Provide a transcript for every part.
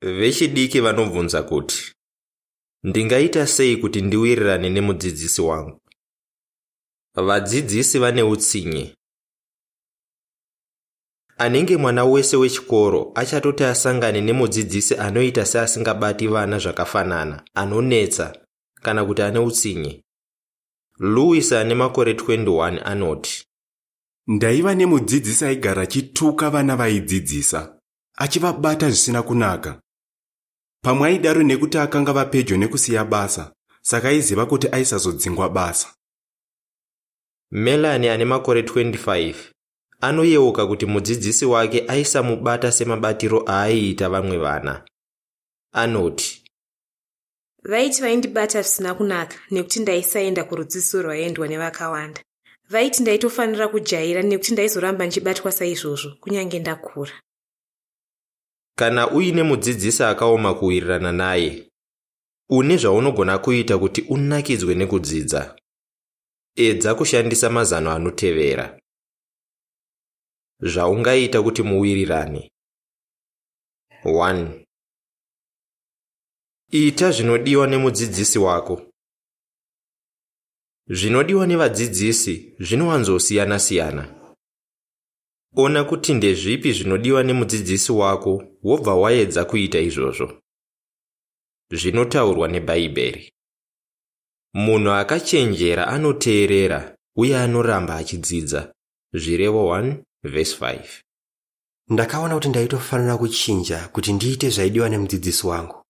Vechidiki vanobvunza kuti, Ndingaita sei kuti ndiwirirane nemudzidzisi wangu? Vadzidzisi vane utsinye. Anenge mwana wese wechikoro achatoti asangane nemudzidzisi anoita seasingabati vana zvakafanana, anonetsa, kana kuti ane utsinye. Louis ane makore 21 anoti, Ndaiva nemudzidzisi aigara achituka vana vaidzidzisa, achivabata zvisina kunaka. Pamwe aidaro nekuti akanga ava pedyo nekusiya basa, saka aiziva kuti aisazodzingwa basa. Melanie ane makore 25 anoyeuka kuti mudzidzisi wake aisamubata semabatiro aaiita vamwe vana. Anoti, Vaiti vaindibata zvisina kunaka nekuti ndaisaenda kurudzidziso rwaiendwa nevakawanda. Vaiti ndaitofanira kujaira nekuti ndaizoramba ndichibatwa saizvozvo kunyange ndakura. Kana uine mudzidzisi akaoma kuwirirana naye, une zvaunogona kuita kuti unakidzwe nekudzidza. Edza kushandisa mazano anotevera. Zvaungaita kuti muwirirane. 1. Ita zvinodiwa nemudzidzisi wako. Zvinodiwa nevadzidzisi zvinowanzosiyana-siyana. Ona kuti ndezvipi zvinodiwa nemudzidzisi wako wobva waedza kuita izvozvo. Zvinotaurwa neBhaibheri. Munhu akachenjera anoteerera uye anoramba achidzidza. Zvirevo 1 vhesi 5. Ndakaona kuti ndaitofanira kuchinja kuti ndiite zvaidiwa nemudzidzisi wangu.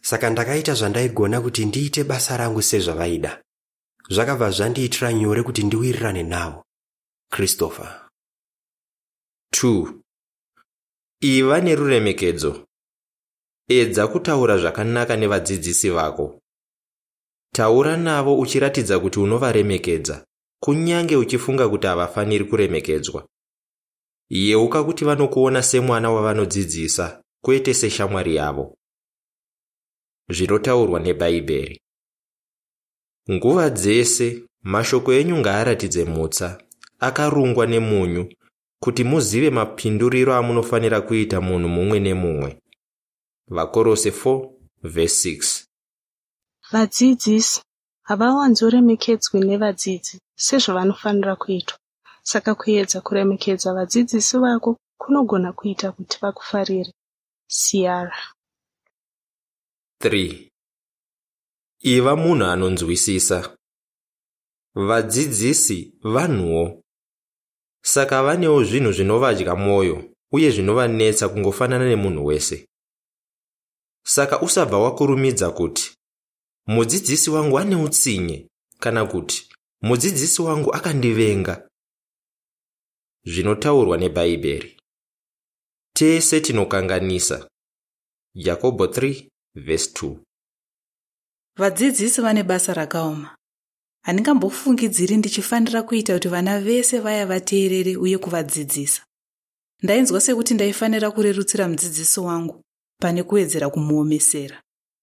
Saka ndakaita zvandaigona kuti ndiite basa rangu sezvavaida. Zvakabva zvandiitira nyore kuti ndiwirirane navo. Christopher. 2. Iva neruremekedzo. Edza kutaura zvakanaka nevadzidzisi vako. Taura navo uchiratidza kuti unovaremekedza, kunyange uchifunga kuti havafaniri kuremekedzwa. Yeuka kuti vanokuona semwana wavanodzidzisa, kwete seshamwari yavo. Zvinotaurwa neBhaibheri. Nguva dzese mashoko enyu ngaaratidze mutsa, akarungwa nemunyu, kuti muzive mapinduriro amunofanira kuita munhu mumwe nemumwe. VaKorose 4 vhesi 6. Vadzidzisi havawanzoremekedzwi nevadzidzi sezvavanofanira kuitwa, saka kuedza kuremekedza vadzidzisi vako kunogona kuita kuti vakufarire. Ciara. 3. Iva munhu anonzwisisa. Vadzidzisi vanhuwo. Saka vanewo zvinhu zvinovadya mwoyo uye zvinovanetsa kungofanana nemunhu wese. Saka usabva wakurumidza kuti, Mudzidzisi wangu ane utsinye kana kuti mudzidzisi wangu akandivenga. Zvinotaurwa neBhaibheri. Tese tinokanganisa. Jakobho 3 vhesi 2. Vadzidzisi vane basa rakaoma. Handingambofungidziri ndichifanira kuita kuti vana vese vaya vateerere uye kuvadzidzisa. Ndainzwa sekuti ndaifanira kurerutsira mudzidzisi wangu pane kuwedzera kumuomesera.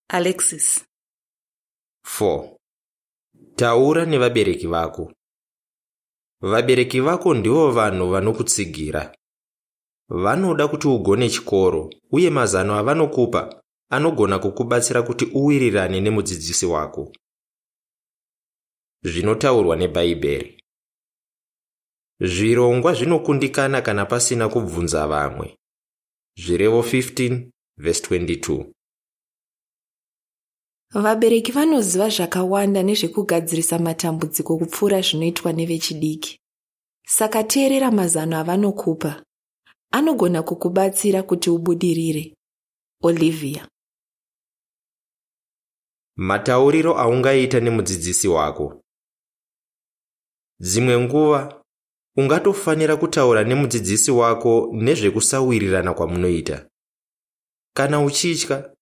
Alexis. 4. Taura nevabereki vako. Vabereki vako ndivo vanhu vanokutsigira. Vanoda kuti ugone chikoro uye mazano avanokupa anogona kukubatsira kuti uwirirane nemudzidzisi wako. Zvinotaurwa neBhaibheri. Zvirongwa zvinokundikana kana pasina kubvunza vamwe. Zvirevo 15 vhesi 22. Vabereki vanoziva zvakawanda nezvekugadzirisa matambudziko kupfuura zvinoitwa nevechidiki. Saka teerera mazano avanokupa. Anogona kukubatsira kuti ubudirire. Olivia. Matauriro aungaita nemudzidzisi wako. Dzimwe nguva ungatofanira kutaura nemudzidzisi wako nezvekusawirirana kwamunoita. Kana uchitya,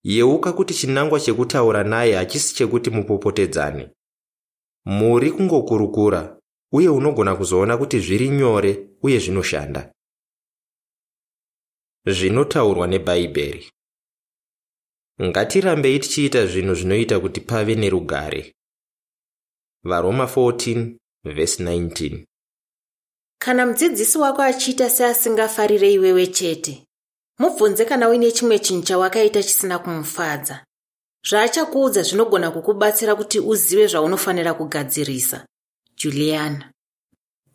yeuka kuti chinangwa chekutaura naye hachisi chekuti mupopotedzane. Muri kungokurukura uye unogona kuzoona kuti zviri nyore uye zvinoshanda. Zvinotaurwa neBhaibheri. Ngatirambei tichiita zvinhu zvinoita kuti pave nerugare. VaRoma 14 vhesi 19. Kana mudzidzisi wako achiita seasingafarire iwewe chete, Mubvunze kana uine chimwe chinhu chawakaita chisina kumufadza. Zvaachakuudza zvinogona kukubatsira kuti uzive zvaunofanira kugadzirisa. Juliana.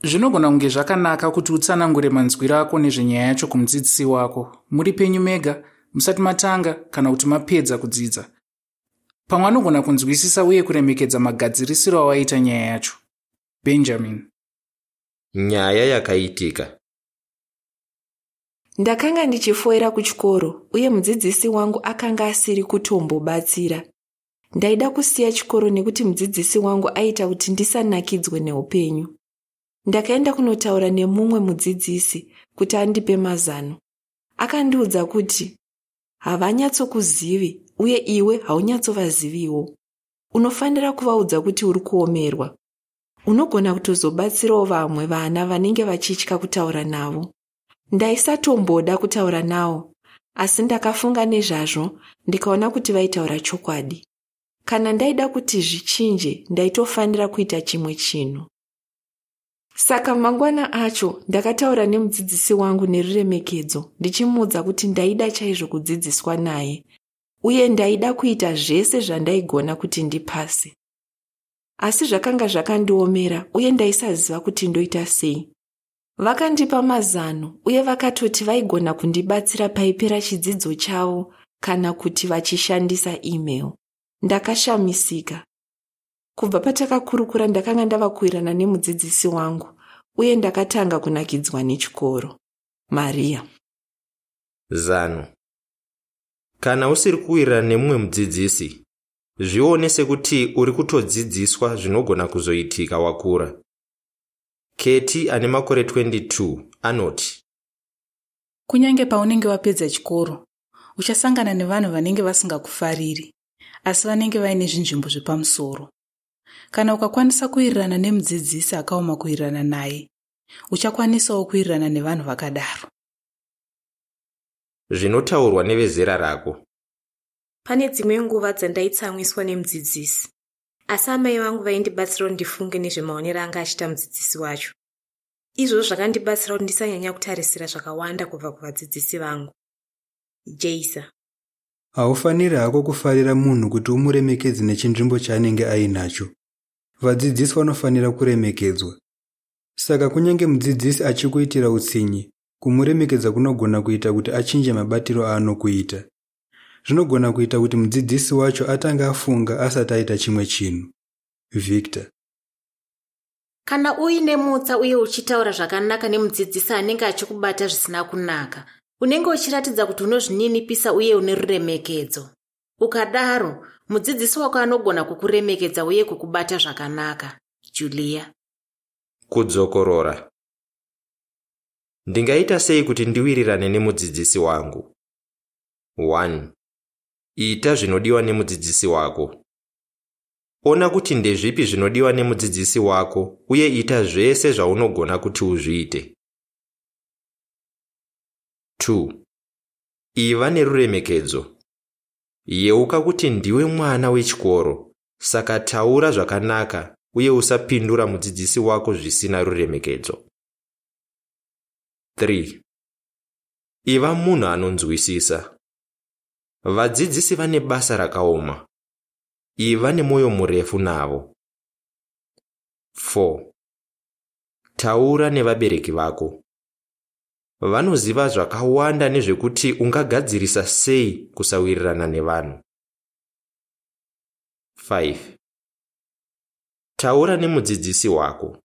Zvinogona kunge zvakanaka kuti utsanangure manzwiro ako nezvenyaya yacho kumudzidzisi wako muri penyu mega musati matanga kana kuti mapedza kudzidza. Pamwe anogona kunzwisisa uye kuremekedza magadzirisiro awaita nyaya yacho. Benjamin. Nyaya yakaitika. Ndakanga ndichifoira kuchikoro uye mudzidzisi wangu akanga asiri kutombobatsira. Ndaida kusiya chikoro nekuti mudzidzisi wangu aiita kuti ndisanakidzwe neupenyu. Ndakaenda kunotaura nemumwe mudzidzisi kuti andipe mazano. Akandiudza kuti havanyatsokuzivi uye iwe haunyatsovaziviwo. Unofanira kuvaudza kuti uri kuomerwa. Unogona kutozobatsirawo vamwe vana vanenge vachitya kutaura navo. Ndaisatomboda kutaura navo, asi ndakafunga nezvazvo ndikaona kuti vaitaura chokwadi. Kana ndaida kuti zvichinje, ndaitofanira kuita chimwe chinhu. Saka mangwana acho ndakataura nemudzidzisi wangu neruremekedzo ndichimuudza kuti ndaida chaizvo kudzidziswa naye uye ndaida kuita zvese zvandaigona kuti ndipase. Asi zvakanga zvakandiomera uye ndaisaziva kuti ndoita sei. Vakandipa mazano uye vakatoti vaigona kundibatsira paipera chidzidzo chavo kana kuti vachishandisa email. Ndakashamisika. Kubva patakakurukura ndakanga ndava kuwirirana nemudzidzisi wangu uye ndakatanga kunakidzwa nechikoro. Maria. Zano. Kana usiri kuwirirana nemumwe mudzidzisi, zvione sekuti uri kutodzidziswa zvinogona kuzoitika wakura. Keti ane makore 22 anoti, Kunyange paunenge wapedza chikoro, uchasangana nevanhu vanenge vasingakufariri, asi vanenge vaine zvinzvimbo zvepamusoro. Kana ukakwanisa kuwirirana nemudzidzisi akaoma kuwirirana naye, uchakwanisawo kuwirirana nevanhu vakadaro. Zvinotaurwa nevezera rako. Pane dzimwe nguva dzandaitsamwiswa nemudzidzisi, asi amai vangu vaindibatsira kuti ndifunge nezvemaonero anga achiita mudzidzisi wacho. Izvozvo zvakandibatsira kuti ndisanyanya kutarisira zvakawanda kubva kuvadzidzisi vangu. Jeisa. Haufaniri hako kufarira munhu kuti umuremekedze nechinzvimbo chaanenge ainacho. Vadzidzisi vanofanira kuremekedzwa. Saka kunyange mudzidzisi achikuitira utsinye, kumuremekedza kunogona kuita kuti achinje mabatiro aanokuita. Zvinogona kuita kuti mudzidzisi wacho atange afunga asati aita chimwe chinhu. Victor. Kana uine mutsa uye uchitaura zvakanaka nemudzidzisi anenge achikubata zvisina kunaka, unenge uchiratidza kuti unozvininipisa uye une ruremekedzo. Ukadaro, mudzidzisi wako anogona kukuremekedza uye kukubata zvakanaka. Julia. Kudzokorora. Ndingaita sei kuti ndiwirirane nemudzidzisi wangu? 1. Ita zvinodiwa nemudzidzisi wako. Ona kuti ndezvipi zvinodiwa nemudzidzisi wako uye ita zvese zvaunogona kuti uzviite. 2. Iva neruremekedzo. Yeuka kuti ndiwe mwana wechikoro, saka taura zvakanaka uye usapindura mudzidzisi wako zvisina ruremekedzo. 3. Iva munhu anonzwisisa. Vadzidzisi vane basa rakaoma. Iva nemwoyo murefu navo. 4. Taura nevabereki vako. Vanoziva zvakawanda nezvekuti ungagadzirisa sei kusawirirana nevanhu. 5. Taura nemudzidzisi wako.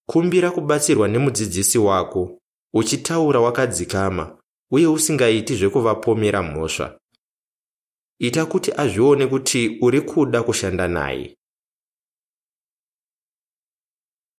Kumbira kubatsirwa nemudzidzisi wako uchitaura wakadzikama uye usingaiti zvekuvapomera mhosva. Ita kuti azvione kuti uri kuda kushanda naye.